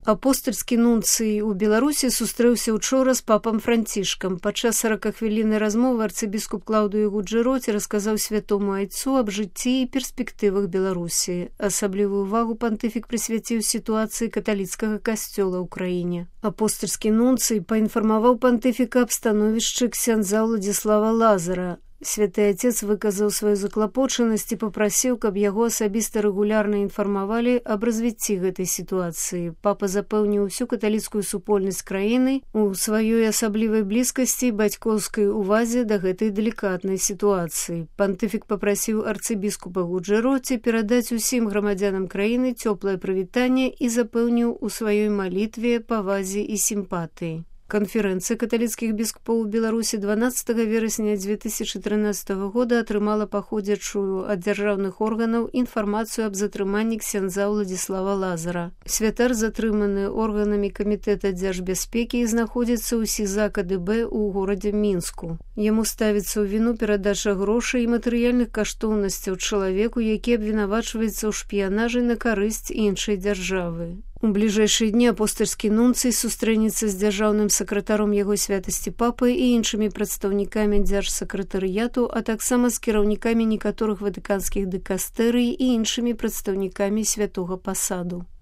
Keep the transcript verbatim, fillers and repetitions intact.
Апостальскі нунцый у Беларусі сустрэўся учора з папам Францішкам. Падчас саракахвіліннай размовы арцыбіскуп Клаўдыё Гуджэроці расказаў святому айцу аб жыцці і перспектывах Беларусі. Асаблівую увагу пантыфік прысвяціў сітуацыі каталіцкага касцёла ў краіне. Апостальскі нунцый паінфармаваў пантыфіка аб становішчы ксяндза Ўладзіслава Лазара. Святы Отец выказаў сваю заклапочанасць і папрасіў, каб яго асабіста рэгулярна інфармавалі аб развіцці гэтай сітуацыі. Папа запэўніў усю каталіцкую супольнасць краіны у сваёй асаблівай блізкасці і бацькоўскай увазе да гэтай далікатнай сітуацыі. Пантыфік папрасіў арцыбіскупа Гуджэроці перадаць усім грамадзянам краіны цёплае прывітанне і запэўніў у сваёй малітве, павазе і сімпатыі. Канферэнцыя каталіцкіх біскупоў у Беларусі дванаццатага верасня дзве тысячы трынаццатага года атрымала паходзячую ад дзяржаўных органаў інфармацыю аб затрыманні ксяндза Ўладзіслава Лазара. Святар затрыманы органамі камітэта дзяржбяспекі і знаходзіцца ў СІЗА КДБ ў горадзе Мінску. Яму ставіцца ў віну перадача грошай і матэрыяльных каштоўнасцяў чалавеку, які абвінавачваецца ў шпіянажы на карысць іншай дзяржавы. У бліжэйшыя дні апостальскі нунцый сустрэнецца з дзяржаўным сакратаром яго святасці папы і іншымі прадстаўнікамі дзяржсакратарыяту, а таксама з кіраўнікамі некаторых ватыканскіх дыкастэрый і іншымі прадстаўнікамі святога пасаду.